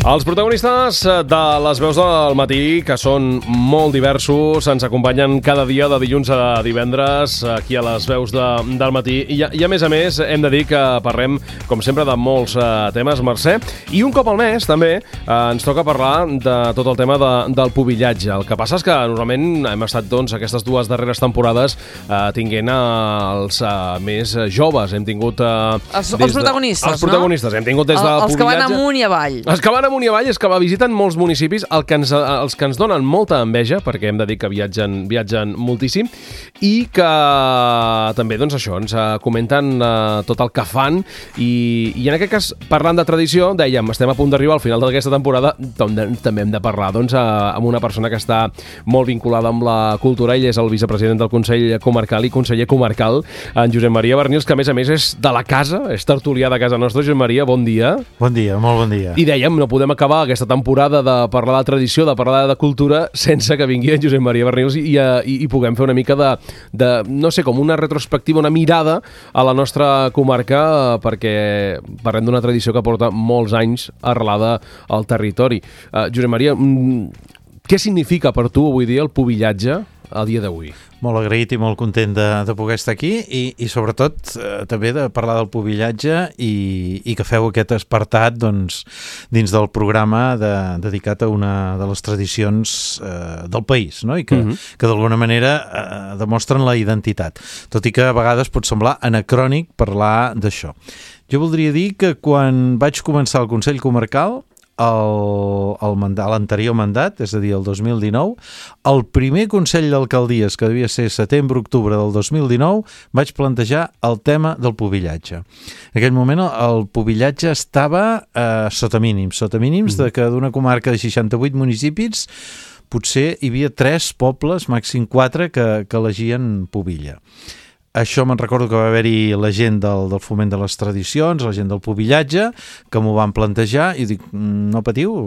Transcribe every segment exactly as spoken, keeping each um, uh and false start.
Els protagonistes de les veus del matí, que són molt diversos, ens acompanyen cada dia de dilluns a divendres aquí a les veus de, del matí. I, I a més a més hem de dir que parlem, com sempre, de molts uh, temes, Mercè. I un cop al mes, també, uh, ens toca parlar de tot el tema de, del pubillatge. El que passa és que normalment hem estat, doncs, aquestes dues darreres temporades uh, tinguent uh, els uh, més joves. Hem tingut... Uh, els, els protagonistes, de, els protagonistes, no? Hem tingut des del el, els pubillatge... Els que van amunt i avall. Els que van amunt i avall és que va visiten molts municipis, el que ens, els que ens donen molta enveja, perquè hem de dir que viatgen, viatgen moltíssim, i que també, doncs això, ens comenten uh, tot el que fan, i, i en aquest cas, parlant de tradició, dèiem, estem a punt d'arribar al final d'aquesta temporada, també hem de parlar, doncs, uh, amb una persona que està molt vinculada amb la cultura. Ell és el vicepresident del Consell Comarcal i conseller comarcal, en Josep Maria Bernils, que a més a més és de la casa, és tertulià de casa nostra. Josep Maria, bon dia. Bon dia, molt bon dia. I dèiem, no podem acabar aquesta temporada de parlar de tradició, de parlar de cultura, sense que vingui en Josep Maria Bernils i, i, i puguem fer una mica de, de, no sé, com una retrospectiva, una mirada a la nostra comarca, perquè parlem d'una tradició que porta molts anys arrelada al territori. Uh, Josep Maria, què significa per tu avui dia el pubillatge a dia d'avui? Molt agraït i molt content de, de poder estar aquí i, i sobretot eh, també de parlar del pubillatge i, i que feu aquest apartat, doncs, dins del programa de, dedicat a una de les tradicions eh, del país, no? I que, uh-huh. que d'alguna manera eh, demostren la identitat, tot i que a vegades pot semblar anacrònic parlar d'això. Jo voldria dir que quan vaig començar el Consell Comarcal, El, el mandat, l'anterior mandat, és a dir, el dos mil dinou, el primer Consell d'Alcaldies, que devia ser setembre-octubre del dos mil dinou, vaig plantejar el tema del pubillatge. En aquell moment el pubillatge estava eh, sota mínims, sota mínims mm. de que d'una comarca de seixanta-vuit municipis potser hi havia tres pobles, màxim quatre, que, que elegien pubilla. Això me'n recordo que va haver-hi la gent del, del foment de les tradicions, la gent del pubillatge, que m'ho van plantejar i dic, no patiu,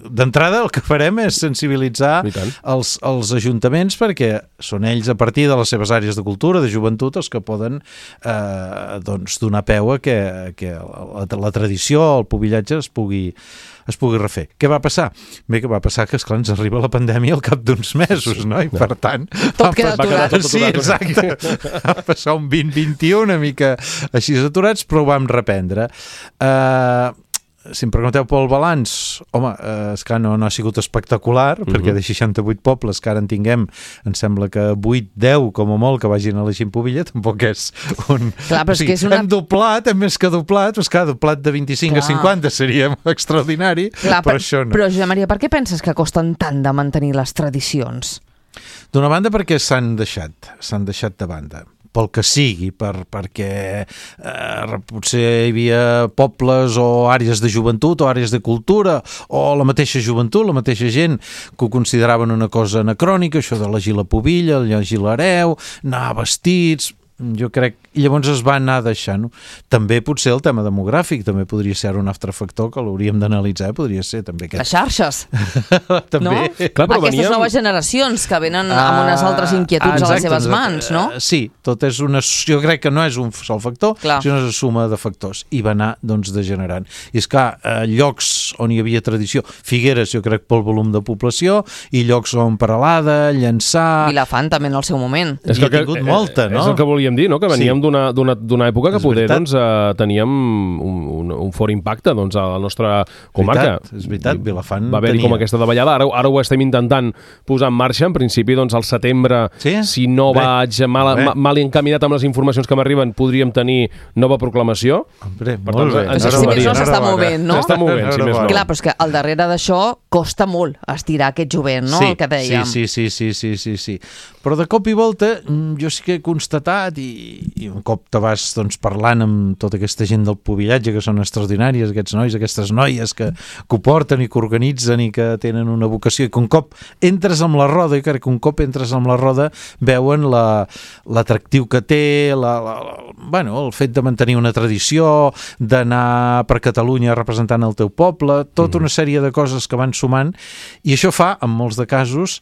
d'entrada el que farem és sensibilitzar els, els ajuntaments, perquè són ells a partir de les seves àrees de cultura, de joventut, els que poden eh, doncs, donar peu a que, que la, la tradició, el pubillatge es pugui es pugui refer. Què va passar? Bé, que va passar que, esclar, ens arriba la pandèmia al cap d'uns mesos, no? I per tant... Tot queda aturat. Tot sí, exacte. Va passar un vint vint u una mica així aturats, però ho vam reprendre. Eh... Uh, si em pregunteu pel balanç, home, eh, és que no, no ha sigut espectacular, uh-huh. perquè de seixanta-vuit pobles que ara en tinguem, em sembla que vuit, deu, com a molt, que vagin elegint pubilla, tampoc és un... Clar, però o sigui, és que és una... hem doblat, hem més que doblat, doncs clar, doblat de vint-i-cinc Clar. a cinquanta seria extraordinari, Clar, però per, això no. Però, Josep Maria, per què penses que costen tant de mantenir les tradicions? D'una banda perquè s'han deixat, s'han deixat de banda. Pel que sigui, per, perquè eh, potser hi havia pobles o àrees de joventut o àrees de cultura o la mateixa joventut, la mateixa gent que ho consideraven una cosa anacrònica, això d'elegir la pubilla, llegir l'hereu, anar vestits... Jo crec, i llavors es va anar deixant. També potser el tema demogràfic també podria ser un altre factor que l'hauríem d'analitzar, podria ser també aquest... Les xarxes, també. no? Clar, Aquestes veníem... noves generacions que venen ah, amb unes altres inquietuds exacte, a les seves mans, no? Sí, tot és una... Jo crec que no és un sol factor, Clar. sinó una suma de factors, i va anar, doncs, degenerant. I és que eh, llocs on hi havia tradició, Figueres, jo crec, pel volum de població, i llocs on Peralada, Llançà... Vilafant també en el seu moment. És I ha tingut molta, no? És el que volia dir, no? Que veníem Sí. d'una època que És poder veritat. doncs, eh, teníem un, un, un fort impacte doncs, a la nostra comarca. Veritat, és veritat, Vilafant va haver-hi tenia. com aquesta davallada, ara, ara ho estem intentant posar en marxa, en principi doncs, al setembre, Sí? si no Bé, vaig mal, bé. ma, mal encaminat amb les informacions que m'arriben, podríem tenir nova proclamació. Hombre, Per molt tant, bé. ens Però si més no s'està Enhorabona. movent, no? S'està movent, si més no. Clar, però és que al darrere d'això costa molt estirar aquest jovent, no? Sí, El que dèiem. sí, sí, sí, sí, sí, sí. Però de cop i volta jo sí que he constatat i, i un cop te vas doncs, parlant amb tota aquesta gent del pubillatge que són extraordinàries, aquests nois, aquestes noies que, que ho porten i que organitzen i que tenen una vocació i que un cop entres amb la roda, i crec que un cop entres amb la roda veuen la, l'atractiu que té, la, la, la, bueno, el fet de mantenir una tradició, d'anar per Catalunya representant el teu poble, tota una sèrie de coses que van sumant, i això fa, en molts de casos,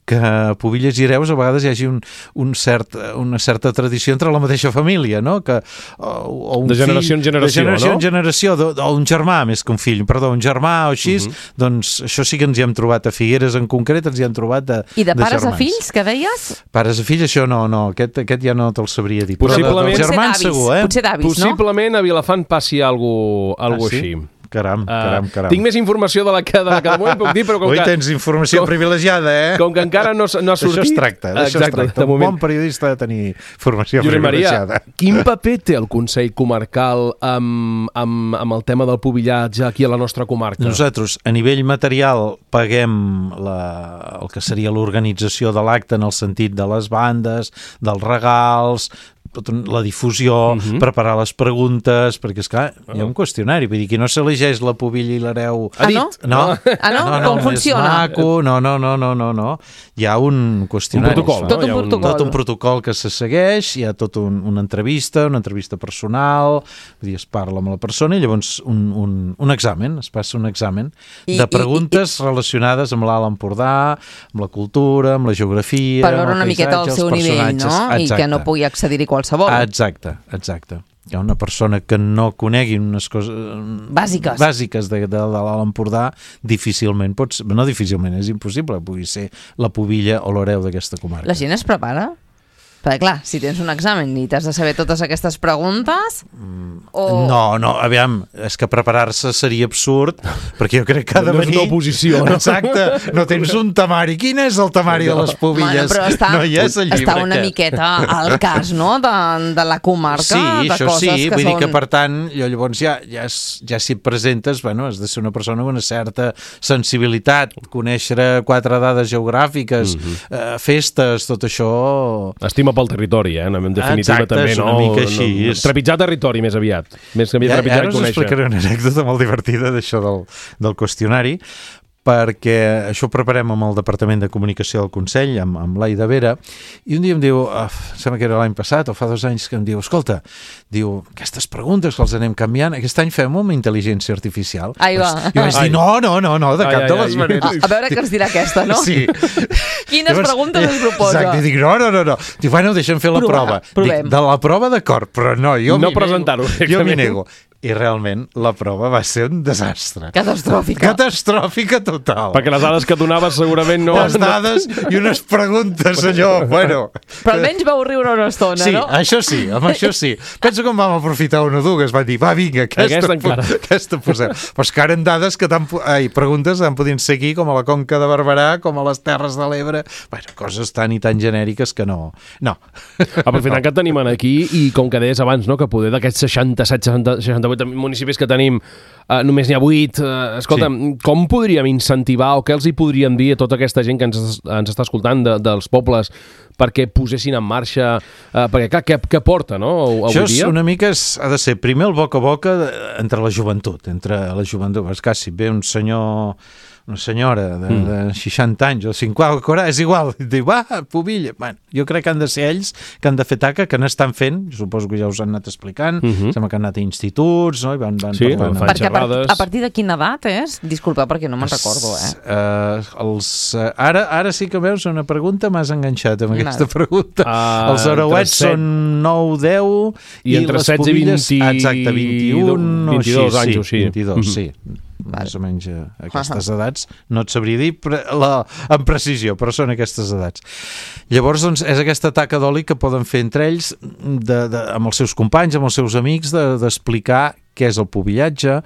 que a Pubilles i Hereus a vegades hi hagi un, un cert, una certa tradició entre la mateixa família, no? Que, o, o un de generació fill, en generació, de generació no? en generació, o, o un germà més que un fill, perdó, un germà o així, uh -huh. doncs això sí que ens hi hem trobat a Figueres en concret, ens hi hem trobat de, I de de pares germans. a fills, que deies? Pares a fills, això no, no, aquest, aquest ja no te'l sabria dir. Possiblement- Però de, de germans Potser d'avis, segur, eh? potser d'avis, no? Possiblement a Vilafant passi algo, algo Ah, sí? així. Caram, caram, caram. Uh, tinc més informació de la que de, la que de moment puc dir, però com Ui, que... tens informació com- privilegiada, eh? Com que encara no, no ha sortit... D'això es tracta, d'això es Exacte, tracta. de Un moment. bon periodista ha de tenir formació Josep Maria, privilegiada. quin paper té el Consell Comarcal amb, amb, amb el tema del pubillatge aquí a la nostra comarca? Nosaltres, a nivell material, paguem la, el que seria l'organització de l'acte en el sentit de les bandes, dels regals, la difusió, uh -huh. preparar les preguntes, perquè, esclar, hi ha un qüestionari, vull dir, qui no s'elegeix la Pubilla i l'Hereu... Ah, no? No, Ah, no? no, no, Com més funciona? maco, no, no, no, no, no, no. Hi ha un qüestionari. Un protocol, es fa. no? Tot Hi ha un protocol. Tot un protocol que se segueix, hi ha tot un, una entrevista, una entrevista personal, vull dir, es parla amb la persona i llavors un, un, un examen, es passa un examen I- de i- preguntes i- relacionades amb l'Alt Empordà, amb la cultura, amb la geografia, Per veure amb el una miqueta el paisatge, seu els nivell, personatges. no? I Exacte. que no pugui accedir-hi qualsevol. Exacte, exacte. Hi ha una persona que no conegui unes coses Bàsiques. bàsiques de, de, de l'Alt Empordà, difícilment pot ser, no difícilment, és impossible que pugui ser la Pubilla o l'Hereu d'aquesta comarca. La gent es prepara? Perquè, clar, si tens un examen i t'has de saber totes aquestes preguntes... O... No, no, aviam, és que preparar-se seria absurd, perquè jo crec que ha de No és venir... una oposició, no? Exacte, no tens un temari. Quin és el temari de les Pubilles? Bueno, però està, no hi és el llibre està una aquest. miqueta al cas, no?, de, de la comarca, Sí, de això coses sí, que vull són... dir que per tant, jo llavors ja, ja, es- ja si et presentes, bueno, has de ser una persona amb una certa sensibilitat, conèixer quatre dades geogràfiques, Mhm. eh, festes, tot això... Estima pel territori, eh? En definitiva Exacte, també, és no? una mica així, No, és- trepitjar territori més aviat. Més que Ja, trepitjar ara i us conèixer. explicaré una anècdota molt divertida d'això del, del qüestionari, perquè això ho preparem amb el Departament de Comunicació del Consell, amb, amb l'Aida Vera, i un dia em diu, uh, sembla que era l'any passat o fa dos anys, que em diu, escolta, diu, aquestes preguntes que els anem canviant, aquest any fem amb intel·ligència artificial. Ai, va. Doncs jo vaig Ai. dir, no, no, no, no, de Ai, cap ai, de les ai. maneres. A, a veure què ens dirà aquesta, no? Sí. Quines preguntes ens proposa? Exacte, i dic, no, no, no, no. Diu, bueno, deixa'm fer la Provar, prova. provem. Dic, de la prova d'acord, però no, jo No m'hi presentar-ho, nego. Jo m'hi directament. nego. I realment la prova va ser un desastre. Catastròfica. Catastròfica total. Perquè les dades que donaves segurament no... Les dades i unes preguntes, allò, bueno... Però almenys vau riure una estona, Sí, no? això sí, amb això sí. Penso que en vam aprofitar una o dues, van dir, va, vinga, aquesta, Aquesta encara. aquesta posem. Però és que ara en dades que tan, ai, preguntes en podien ser aquí, com a la Conca de Barberà, com a les Terres de l'Ebre, bueno, coses tan i tan genèriques que no... No. Aprofitant que et tenim aquí i com que deies abans, no, que poder d'aquests seixanta-set, seixanta, seixanta-vuit municipis que tenim eh, només n'hi ha vuit, eh, escolta, sí. Com podríem incentivar o què els hi podríem dir a tota aquesta gent que ens, ens està escoltant de, dels pobles perquè posessin en marxa, eh, perquè clar, què, què porta, no, avui Això és dia? una mica, és, ha de ser primer el boca a boca de, entre la joventut, entre la joventut. És que si ve un senyor, una senyora de, Mm. de seixanta anys o cinquanta, és igual, diu, va, Pubilla. Bueno, jo crec que han de ser ells que han de fer taca, que n'estan fent, suposo que ja us han anat explicant, Mhm. sembla que han anat a instituts, no? I van, van Sí, parlant. fan Perquè a, part, xerrades. a partir de quina edat és? Disculpa, perquè no me'n recordo, eh? Uh, els, uh, ara, ara sí que veus una pregunta, m'has enganxat amb aquesta Val. pregunta. Ah, Els arauets entre set- són nou, deu I entre les setze i Pubilles, vint- exacte, vint-i-un o vint-i-dos així, anys o sí, així. vint-i-dos, Mhm. sí. Més o menys eh, aquestes Uh-huh. edats, no et sabria dir pre la, amb precisió, però són aquestes edats. Llavors, doncs, és aquesta taca d'oli que poden fer entre ells, de, de, amb els seus companys, amb els seus amics, d'explicar de, què és el pubillatge,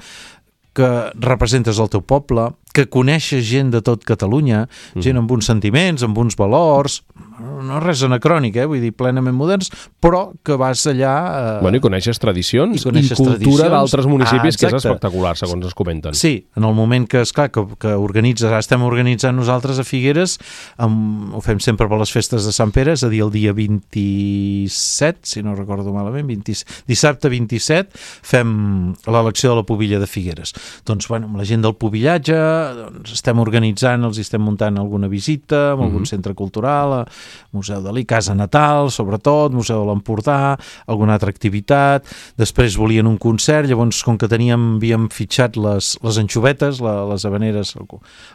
que representes el teu poble, que coneixes gent de tot Catalunya, mm. gent amb uns sentiments, amb uns valors, no res anacrònic, eh? Vull dir, plenament moderns, però que vas allà... Eh... Bueno, i coneixes tradicions I coneixes i cultura tradicions. d'altres municipis, Ah, que és exacte. espectacular, segons es comenten. Sí, en el moment que, esclar, que, que organitzes, ara estem organitzant nosaltres a Figueres, amb, ho fem sempre per les festes de Sant Pere, és a dir, el dia vint-i-set, si no recordo malament, vint, dissabte vint-i-set, fem l'elecció de la Pubilla de Figueres. Doncs, bueno, amb la gent del pubillatge, doncs estem organitzant, els estem muntant alguna visita en algun uh-huh. centre cultural, Museu Dalí, Casa Natal, sobretot, Museu de l'Empordà, alguna altra activitat. Després volien un concert, llavors, com que teníem, havíem fitxat les, les anxovetes, la, les habaneres, el,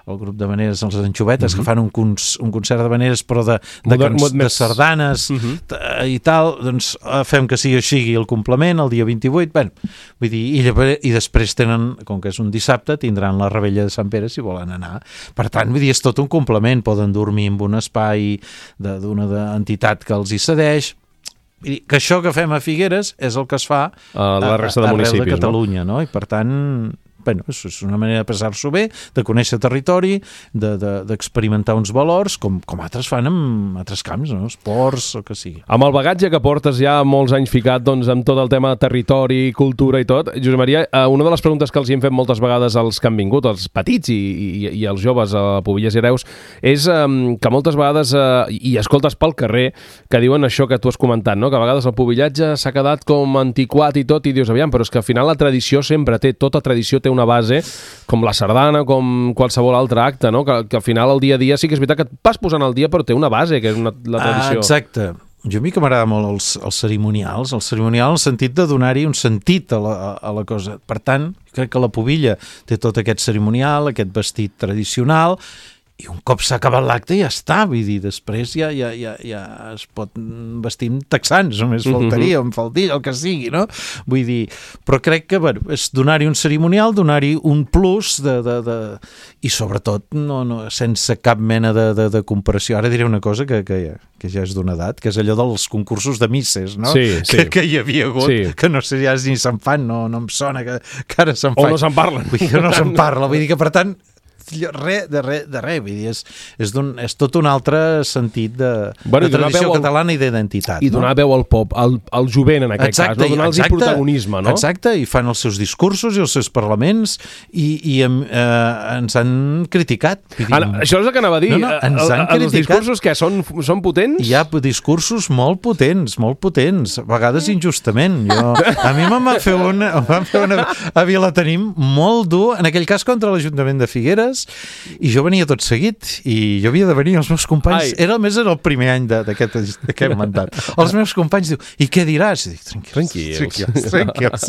el grup d'habaneres, les anxovetes, uh-huh. que fan un, cons, un concert d'habaneres, però de, de, Modern, cans, de sardanes uh-huh. i tal, doncs fem que sigui així el complement, el dia vint-i-vuit, bueno, vull dir, i, i després tenen, com que és un dissabte, tindran la Rebella de Sant Pere si volen anar. Per tant, vull dir, és tot un complement, poden dormir en un espai de, d'una entitat que els hi cedeix. I que això que fem a Figueres és el que es fa a la resta de a, municipis, arreu de Catalunya, no? no? I per tant, bueno, és una manera de passar-s'ho bé, de conèixer territori, de, de, d'experimentar uns valors, com, com altres fan en altres camps, no? Esports o que sigui. Amb el bagatge que portes ja molts anys ficat doncs, amb tot el tema de territori, cultura i tot, Josep Maria, una de les preguntes que els hi hem fet moltes vegades als que han vingut, els petits i, i, i els joves a Pobillers i Hereus, és um, que moltes vegades, uh, i escoltes pel carrer, que diuen això que tu has comentat, no? Que a vegades el pobillatge s'ha quedat com antiquat i tot, i dius, aviam, però és que al final la tradició sempre té, tota tradició té una base, com la sardana, com qualsevol altre acte, no? Que, que al final el dia a dia sí que és veritat que et vas posant al dia, però té una base, que és una, la tradició. Ah, exacte. Jo a mi que m'agrada molt els, els cerimonials, el cerimonial en el sentit de donar-hi un sentit a la, a la cosa. Per tant, crec que la Pobilla té tot aquest cerimonial, aquest vestit tradicional, i un cop s'ha acabat l'acte ja està, vull dir, després ja, ja, ja, ja es pot vestir amb texans, només faltaria, amb faldilla, el que sigui, no? Vull dir, però crec que, bueno, és donar-hi un cerimonial, donar-hi un plus de, de, de... i sobretot no, no, sense cap mena de, de, de comparació. Ara diré una cosa que, que, ja, que ja és d'una edat, que és allò dels concursos de misses, no? Sí, sí. Que, que hi havia hagut, sí. Que no sé ja ni se'n fan, no, no em sona que, que ara se'n fan. O no se'n parlen. Vull dir que no se'n parla, vull dir que, per tant, res de res, de res, vull dir, és, és, és tot un altre sentit de, bueno, de tradició al, catalana i d'identitat. I donar no? veu al pop, al, al jovent en aquest exacte, cas, no? Donar-los protagonisme, no? Exacte, i fan els seus discursos i els seus parlaments i, i eh, ens han criticat. Dir, Ara, això és el que anava a dir. No, no, ens han el, els discursos que són, són potents? Hi ha discursos molt potents, molt potents, a vegades injustament. Jo, a mi me'n va fer una, van fer una a Vilatenim molt dur, en aquell cas contra l'Ajuntament de Figueres, i jo venia tot seguit i jo havia de venir, els meus companys Ai. era més era el primer any d'aquest mandat, els meus companys diu, i què diràs? I dic, tranquils, tranquils, tranquils, tranquils.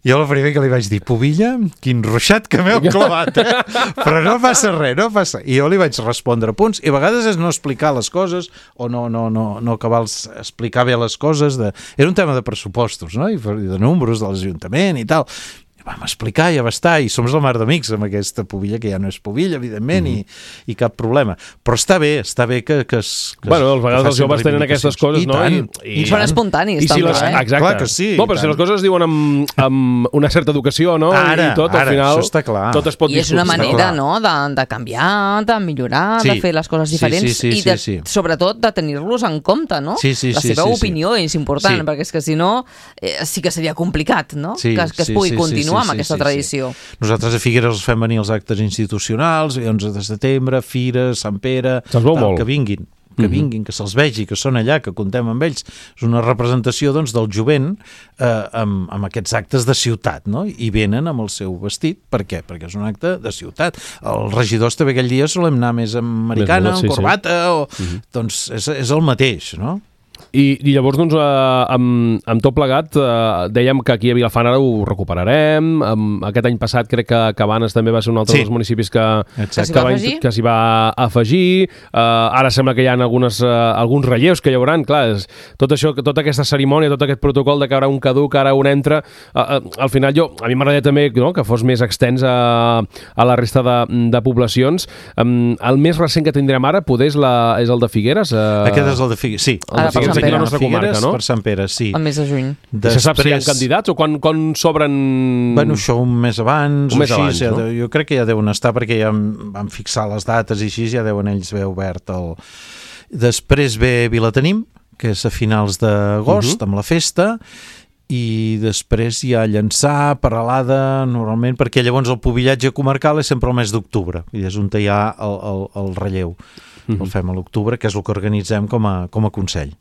Jo el primer que li vaig dir, Pobilla, quin ruixat que m'heu clavat, eh? Però no passa res, no passa, i jo li vaig respondre punts, i a vegades és no explicar les coses o no, no, no, no acabar explicar bé les coses, de... era un tema de pressupostos, no? I de números de l'Ajuntament i tal. Vam explicar, ja va estar, i som la mar d'amics amb aquesta Pobilla, que ja no és Pobilla, evidentment, mm-hmm. i, i cap problema. Però està bé, està bé que... que, es, que bueno, a vegades els joves tenen aquestes coses, I no? Tant, I, i, I són espontanis, I si també, les, eh? Exacte. Clar que sí. No, però si les coses es diuen amb, amb una certa educació, no? Ara, I tot, ara, al final, això està clar. tot es pot I és una discutir. manera, no?, de, de canviar, de millorar, sí. de fer les coses diferents sí, sí, sí, i, de, sí, sí. sobretot, de tenir-los en compte, no? Sí, sí, La sí, seva sí, opinió sí. és important, sí. perquè és que si no, eh, sí que seria complicat, no?, sí, que, que es sí, pugui sí, continuar sí, sí, amb aquesta sí, tradició. Sí. Nosaltres a Figueres els fem venir els actes institucionals, onze de setembre, Fira, Sant Pere, tal, que vinguin, que vinguin, que se'ls vegi, que són allà, que contem amb ells. És una representació, doncs, del jovent eh, amb, amb aquests actes de ciutat, no? I venen amb el seu vestit. Per què? Perquè és un acte de ciutat. Els regidors també aquell dia solem anar més amb americana, amb sí, corbata, sí. o... Uh-huh. Doncs és, és el mateix, no? I, i llavors, doncs, eh, amb, amb tot plegat, eh, dèiem que aquí a Vilafant ara ho recuperarem. Um, aquest any passat crec que Cabanes també va ser un altre sí. dels municipis que, que, que, va, que s'hi va afegir. Uh, ara sembla que hi ha algunes, uh, alguns relleus que hi haurà. Clar, és, tot això, tota aquesta cerimònia, tot aquest protocol de que ara un caduc, ara un entra, uh, uh, al final jo, a mi m'agradaria també no, que fos més extens a, a la resta de, de poblacions. Um, el més recent que tindrem ara poder és, la, és el de Figueres. Uh... Aquest és el de Figueres, sí. El de Figueres. Aquí a la nostra comarca, no? Per Sant Pere, sí. El mes de juny. Després... Se sap si hi ha candidats o quan, quan s'obren... Bueno, això un mes abans un o mes així. Abans, ja, no? Jo crec que ja deuen estar perquè ja van fixar les dates i així, ja deuen ells haver obert el... Després ve Vilatenim, que és a finals d'agost, uh-huh. amb la festa, i després hi ha Llançà, Peralada, normalment, perquè llavors el pobillatge comarcal és sempre el mes d'octubre, i és on hi ha el, el, el relleu. Uh-huh. El fem a l'octubre, que és el que organitzem com a, com a Consell.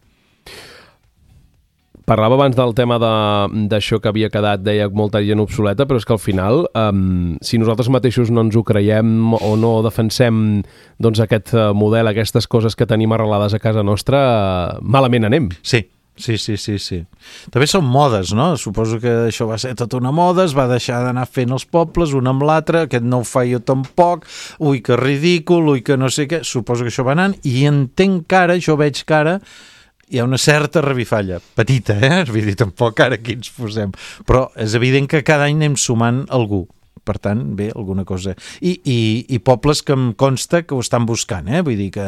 parlava abans del tema d'això que havia quedat, deia, molta gent obsoleta, però és que al final, um, si nosaltres mateixos no ens ho creiem o no defensem doncs, aquest model, aquestes coses que tenim arrelades a casa nostra, uh, malament anem. Sí. Sí, sí, sí, sí. També són modes, no? Suposo que això va ser tota una moda, es va deixar d'anar fent els pobles, un amb l'altre, aquest no ho fa jo tampoc, ui, que ridícul, ui, que no sé què. Suposo que això va anant, i entenc que ara, jo veig que ara hi ha una certa revifalla, petita, eh? Vull dir, tampoc ara aquí ens posem. Però és evident que cada any anem sumant algú. Per tant, bé, alguna cosa. I, i, i pobles que em consta que ho estan buscant, eh? Vull dir que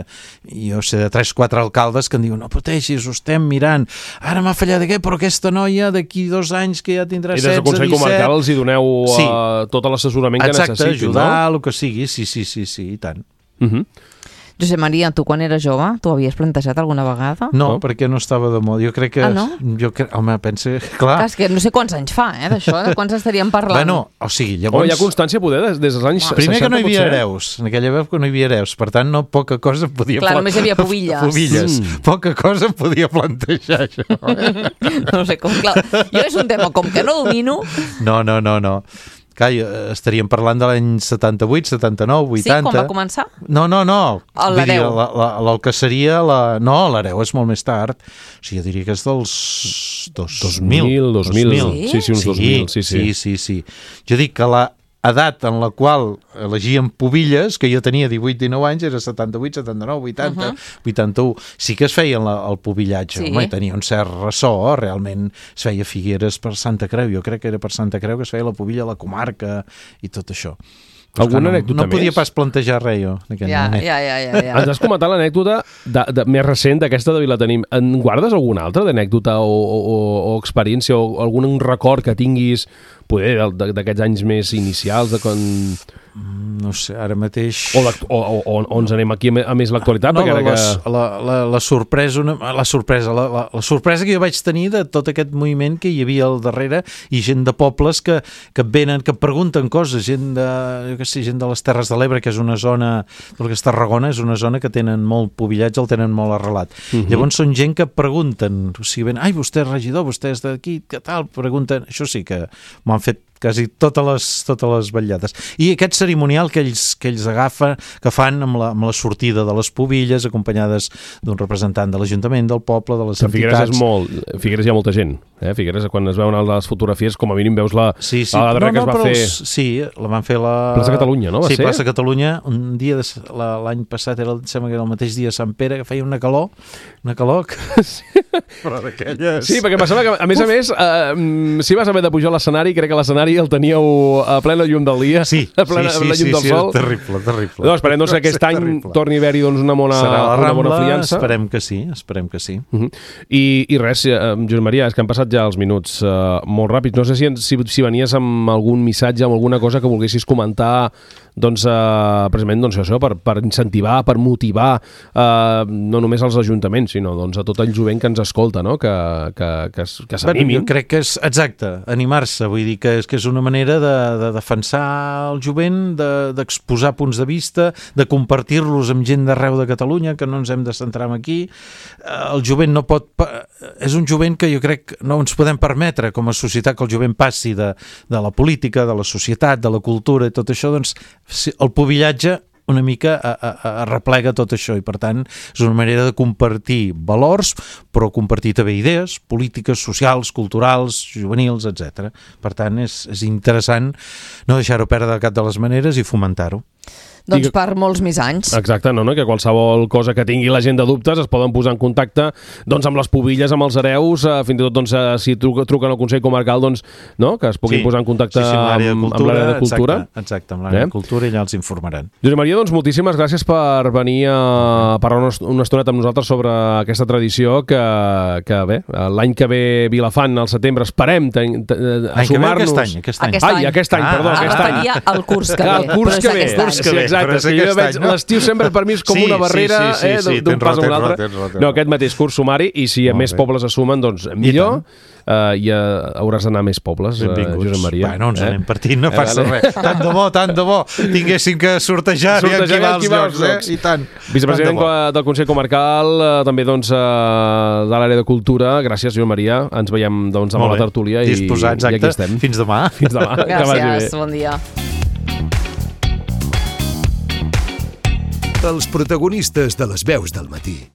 jo sé de tres o quatre alcaldes que em diuen no pateixis, ho estem mirant. Ara m'ha fallat aquest, però aquesta noia d'aquí dos anys que ja tindrà setze, disset... I des del Consell Comarcal els hi doneu sí. uh, tot l'assessorament que Exacte, necessitin, ajudar, no? El que sigui, sí, sí, sí, sí, i tant. Uh -huh. Josep Maria, tu quan eres jove, t'ho havies plantejat alguna vegada? No, no, perquè no estava de moda. Jo crec que... Ah, no? Jo crec, home, pensa... Clar. És que no sé quants anys fa, eh, d'això, de quants estaríem parlant. Bueno, o sigui, llavors... Oh, hi ha constància, poder, des, des dels anys no. seixanta, Primer que no hi havia potser. hereus. En aquella època no hi havia hereus. Per tant, no poca cosa podia... Clar, només hi havia pobilles. Pobilles. Mm. Poca cosa podia plantejar, això. No sé com, clar. Jo és un tema com que no domino... No, no, no, no. Clar, estaríem parlant de l'any setanta-vuit, setanta-nou, vuitanta... Sí, quan va començar? No, no, no. L'hereu. La, la, la, el que seria... La... No, l'hereu és molt més tard. O sigui, jo diria que és dels dos, dos mil. dos mil. Sí? Sí, sí, uns sí, dos mil. Sí, sí. sí, sí, sí. Jo dic que la edat en la qual elegíem pobilles, que jo tenia divuit dinou anys, era setanta-vuit, setanta-nou, vuitanta, uh-huh. vuitanta-u. Sí que es feien la, el pobillatge, sí. Home, i tenia un cert ressò, realment es feia Figueres per Santa Creu, jo crec que era per Santa Creu que es feia la pobilla a la comarca i tot això. Alguna no, anècdota no podia més? pas plantejar res jo en aquell ja, moment. ja, ja, ja, ja. Ens has comentat l'anècdota de, de, més recent d'aquesta de Vilatenim. En guardes alguna altra d'anècdota o, o, o experiència o algun record que tinguis poder d'aquests anys més inicials de quan... No sé, ara mateix... O, o, o, o ens anem aquí a més l'actualitat? No, la, que... que... la, la, la sorpresa, una, la, sorpresa la, la, la sorpresa que jo vaig tenir de tot aquest moviment que hi havia al darrere i gent de pobles que, que venen, que pregunten coses, gent de, jo què sé, gent de les Terres de l'Ebre, que és una zona, del que és Tarragona, és una zona que tenen molt pobillatge, el tenen molt arrelat. Uh -huh. Llavors són gent que pregunten, o sigui, ven, ai, vostè és regidor, vostè és d'aquí, què tal? Pregunten, això sí que m'ho han fet quasi totes les, totes les vetllades. I aquest cerimonial que ells, que ells agafen, que fan amb la, amb la sortida de les pobilles, acompanyades d'un representant de l'Ajuntament, del poble, de les que Figueres entitats. És molt... Figueres hi ha molta gent. Eh? Figueres, quan es veuen les fotografies, com a mínim veus la, sí, sí. la darrera no, no, que es va fer... Els, sí, la van fer la... Plaça Catalunya, no? Va sí, ser? Plaça Catalunya. Un dia, de, l'any passat, era, sembla que era el mateix dia Sant Pere, que feia una calor, una calor... Que... Sí. Però d'aquelles... Sí, perquè em sembla que, a més Uf. a més, eh, si vas haver de pujar a l'escenari, crec que l'escenari el teníeu a plena llum del dia, sí, a plena sí, sí, la llum sí, del sí, sol. Terrible, terrible. No, esperem doncs, que aquest any terrible. torni a haver-hi doncs, una, bona, Serà la Rambla, una bona friança. Esperem que sí, esperem que sí. Uh -huh. I, I res, eh, Josep Maria, és que han passat ja els minuts eh, molt ràpids. No sé si, si, si venies amb algun missatge, amb alguna cosa que volguessis comentar, doncs, eh, precisament doncs, això, per, per incentivar, per motivar eh, no només als ajuntaments, sinó doncs, a tot el jovent que ens escolta, no? que, que, que, que s'animin. Bueno, jo crec que és, exacte, animar-se, vull dir que és, que és una manera de, de defensar el jovent, d'exposar de, punts de vista, de compartir-los amb gent d'arreu de Catalunya, que no ens hem de centrar aquí. El jovent no pot... És un jovent que jo crec que no ens podem permetre com a societat que el jovent passi de, de la política, de la societat, de la cultura i tot això, doncs el pobillatge una mica a, a, a replega tot això i per tant és una manera de compartir valors però compartir també idees polítiques, socials, culturals, juvenils, etcètera. Per tant és, és interessant no deixar-ho perdre de cap de les maneres i fomentar-ho. Doncs per molts més anys. Exacte, no, no? Que qualsevol cosa que tingui la gent de dubtes es poden posar en contacte doncs, amb les pobilles, amb els hereus, eh, fins i tot doncs, eh, si truquen, truquen al Consell Comarcal, doncs, no? Que es puguin sí. posar en contacte sí, sí, amb l'àrea de cultura. Amb, amb de cultura. Exacte, exacte amb l'àrea eh? de cultura i allà els informaran. Josep Maria, doncs moltíssimes gràcies per venir a parlar una, una estoneta amb nosaltres sobre aquesta tradició que, que bé, l'any que ve Vilafant, al setembre, esperem a sumar-nos... Aquest any, aquest any. Aquest any. Ai, aquest any, ah, perdó, ah, aquest any. El curs que ve. El curs que ve, sí, Exacte, diferència que jo aquest veig any, no? l'estiu sempre per mi és com Sí, una barrera sí, sí, sí, eh, sí, d'un tens pas a raó, un altre. tens raó, tens raó. No, aquest mateix curs sumari, i si a Molt més bé. pobles es sumen, doncs millor, uh, i uh, hauràs d'anar a més pobles, uh, Benvinguts. Josep Maria. Bueno, ens eh? anem partint, no Eh, passa vale. res. Tant de bo, tant de bo. Tinguéssim que sortejar, Sortejar i i activar activar els els llocs, llocs. eh? I tant. Vicepresident Tant de bo. del Consell Comarcal, eh, també doncs, eh, de l'àrea de cultura. Gràcies, Josep Maria. Ens veiem doncs, amb Molt la bé. tertúlia i, Disposats, i aquí exacte. estem. Fins demà. Fins demà. Que vagi bé. Gràcies, bon dia. Els protagonistes de les veus del matí.